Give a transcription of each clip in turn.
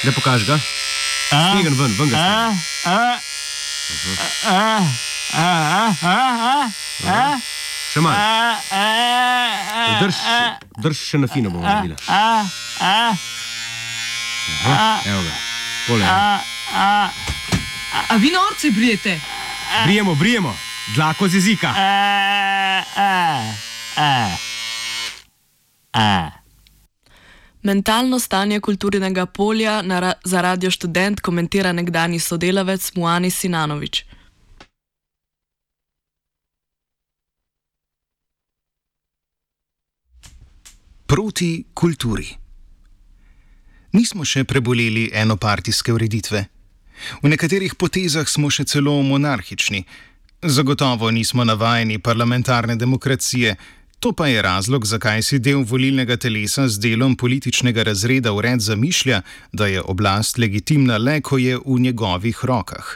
Da pokaži ga. Stegen ven ga stegen. Še malo. Drž še na fino bomo naredili. Evo ga. Pole. A vi norce brijete? Brijemo. Dlako z jezika. Mentalno stanje kulturnega polja za Radio Študent komentira nekdanji sodelavec Muanis Sinanović. Proti kulturi. Nismo še preboleli enopartijske ureditve. V nekaterih potezah smo še celo monarhični. Zagotovo nismo navajeni parlamentarne demokracije. To pa je razlog, zakaj si del volilnega telesa z delom političnega razreda vred zamišlja, da je oblast legitimna le, ko je v njegovih rokah.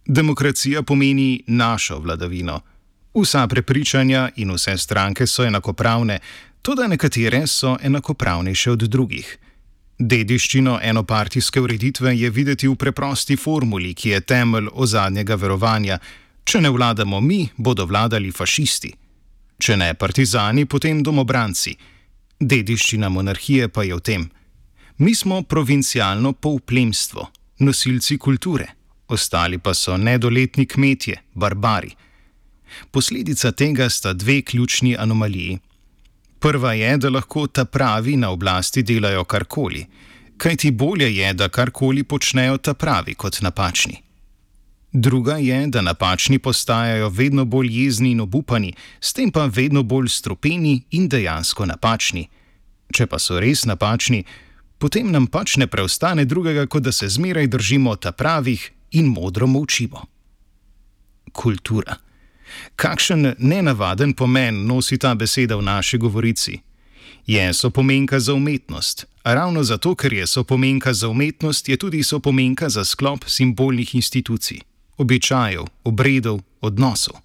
Demokracija pomeni našo vladavino. Vsa prepričanja in vse stranke so enakopravne, toda nekatere so enakopravnejše od drugih. Dediščino enopartijske ureditve je videti v preprosti formuli, ki je temelj ozadnjega verovanja. Če ne vladamo mi, bodo vladali fašisti. Če ne partizani, potem domobranci. Dediščina monarhije pa je v tem. Mi smo provincialno polplemstvo, nosilci kulture, ostali pa so nedoletni kmetje, barbari. Posledica tega sta dve ključni anomaliji. Prva je, da lahko ta pravi na oblasti delajo karkoli, kajti bolje je, da karkoli počnejo ta pravi kot napačni. Druga je, da napačni postajajo vedno bolj jezni in obupani, s tem pa vedno bolj strupeni in dejansko napačni. Če pa so res napačni, potem nam pač ne preostane drugega, kot da se zmeraj držimo ta pravih in modro molčimo. Kultura. Kakšen nenavaden pomen nosi ta beseda v naši govorici? Je sopomenka za umetnost, a ravno zato, ker je sopomenka za umetnost, je tudi sopomenka za sklop simbolnih institucij, običajev, obredov, odnosov.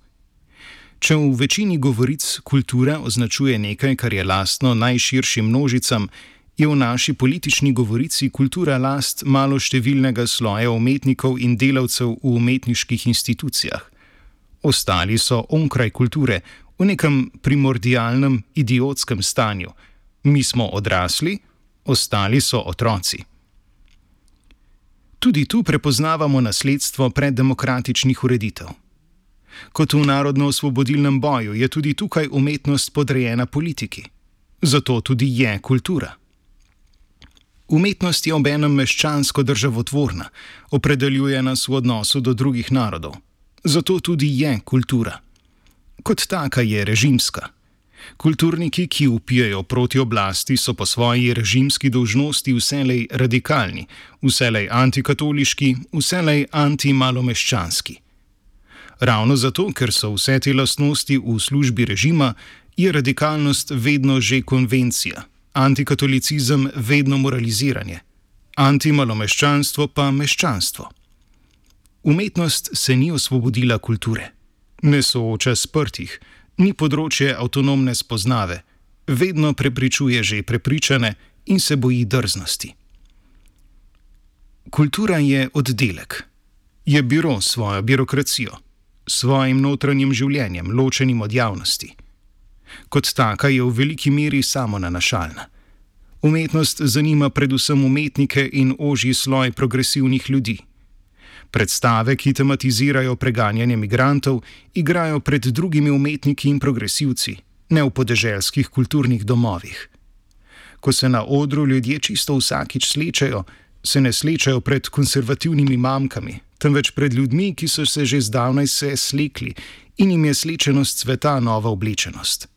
Če v večini govoric kultura označuje nekaj, kar je lastno najširšim množicam, je v naši politični govorici kultura last maloštevilnega sloja umetnikov in delavcev v umetniških institucijah. Ostali so onkraj kulture, v nekem primordialnem, idiotskem stanju. Mi smo odrasli, ostali so otroci. Tudi tu prepoznavamo nasledstvo preddemokratičnih ureditev. Kot v narodno-osvobodilnem boju je tudi tukaj umetnost podrejena politiki. Zato tudi je kultura. Umetnost je obenem meščansko državotvorna, opredeljuje nas v odnosu do drugih narodov. Zato tudi je kultura. Kot taka je režimska. Kulturniki, ki vpijejo proti oblasti, so po svoji režimski dolžnosti vselej radikalni, vselej antikatoliški, vselej antimalomeščanski. Ravno zato, ker so vse te lastnosti v službi režima, je radikalnost vedno že konvencija, antikatolicizem vedno moraliziranje, antimalomeščanstvo pa meščanstvo. Umetnost se ni osvobodila kulture, ne sooča sprtih, ni področje avtonomne spoznave, vedno prepričuje že prepričane in se boji drznosti. Kultura je oddelek, je biro s svojo birokracijo, s svojim notranjim življenjem, ločenim od javnosti. Kot taka je v veliki meri samonanašalna. Umetnost zanima predvsem umetnike in ožji sloj progresivnih ljudi. Predstave, ki tematizirajo preganjanje migrantov, igrajo pred drugimi umetniki in progresivci, ne v podeželskih kulturnih domovih. Ko se na odru ljudje čisto vsakič slečejo, se ne slečejo pred konservativnimi mamkami, temveč pred ljudmi, ki so se že zdavnaj slekli in jim je slečenost sveta nova oblečenost.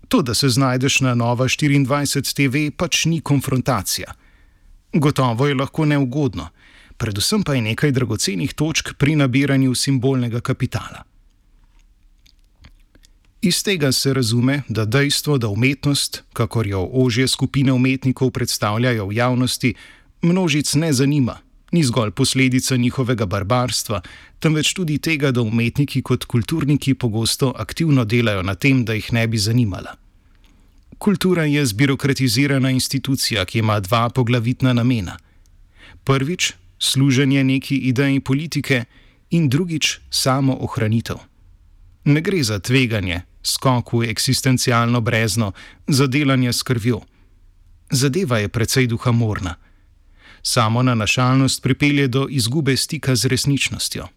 To, da se znajdeš na Nova 24 TV, pač ni konfrontacija. Gotovo je lahko neugodno, predvsem pa je nekaj dragocenih točk pri nabiranju simbolnega kapitala. Iz tega se razume, da dejstvo, da umetnost, kakor jo ožje skupine umetnikov predstavljajo v javnosti, množic ne zanima, ni zgolj posledica njihovega barbarstva, temveč tudi tega, da umetniki kot kulturniki pogosto aktivno delajo na tem, da jih ne bi zanimala. Kultura je zbirokratizirana institucija, ki ima dva poglavitna namena. Prvič, služenje neki ideji politike in drugič, samo ohranitev. Ne gre za tveganje, skok v eksistencialno brezno, za delanje s krvjo. Zadeva je precej duhamorna. Samo nanašalnost pripelje do izgube stika z resničnostjo.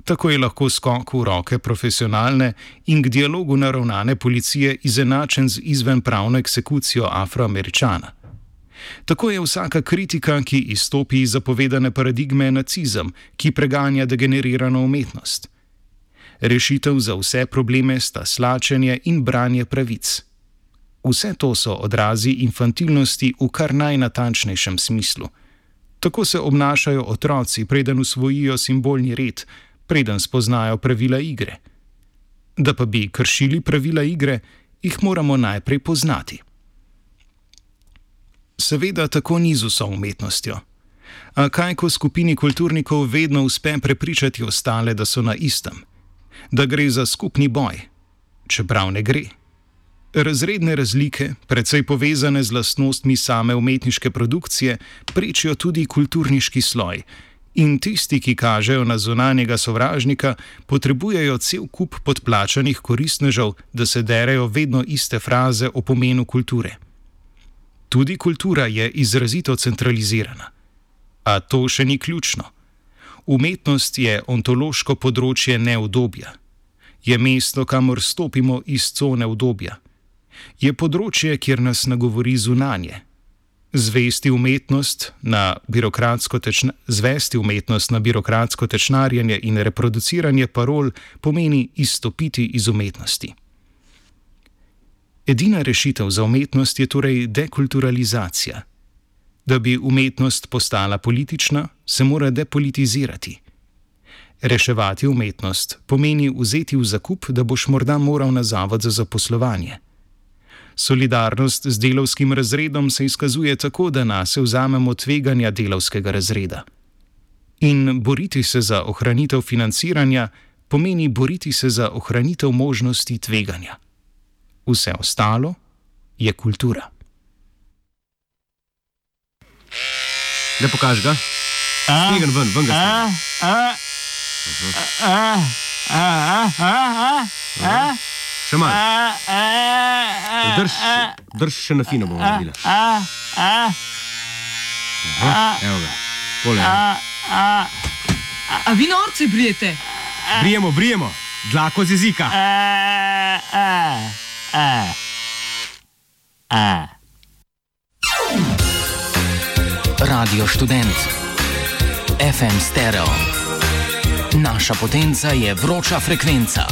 Tako je lahko skok v roke profesionalne in k dialogu naravnane policije izenačen z izvenpravno eksekucijo Afroameričana. Tako je vsaka kritika, ki izstopi iz zapovedane paradigme, nacizem, ki preganja degenerirano umetnost. Rešitev za vse probleme sta slačenje in branje pravic. Vse to so odrazi infantilnosti v kar najnatančnejšem smislu. Tako se obnašajo otroci, preden usvojijo simbolni red, preden spoznajo pravila igre. Da pa bi kršili pravila igre, jih moramo najprej poznati. Seveda tako ni z vso umetnostjo. A kaj, ko skupini kulturnikov vedno uspe prepričati ostale, da so na istem? Da gre za skupni boj, čeprav ne gre. Razredne razlike, precej povezane z lastnostmi same umetniške produkcije, prečijo tudi kulturniški sloj. In tisti, ki kažejo na zunanjega sovražnika, potrebujejo cel kup podplačanih koristnežev, da se derejo vedno iste fraze o pomenu kulture. Tudi kultura je izrazito centralizirana. A to še ni ključno. Umetnost je ontološko področje neudobja. Je mesto, kamor stopimo iz cone udobja. Je področje, kjer nas nagovori zunanje. Zvesti umetnost na birokratsko tečnarjenje in reproduciranje parol pomeni izstopiti iz umetnosti. Edina rešitev za umetnost je torej dekulturalizacija. Da bi umetnost postala politična, se mora depolitizirati. Reševati umetnost pomeni vzeti v zakup, da boš morda moral na zavod za zaposlovanje. Solidarnost z delavskim razredom se izkazuje tako, da nase vzamemo tveganja delavskega razreda. In boriti se za ohranitev financiranja pomeni boriti se za ohranitev možnosti tveganja. Vse ostalo je kultura. Da pokaži ga. Stegen ven ga stegen. Še malo. Drž še na fino bomo naredila. Evo ga. Pole. A vi norci brijete? Brijemo. Dlako z jezika. Radio Študent. FM Stereo. Naša potenca je vroča frekvenca.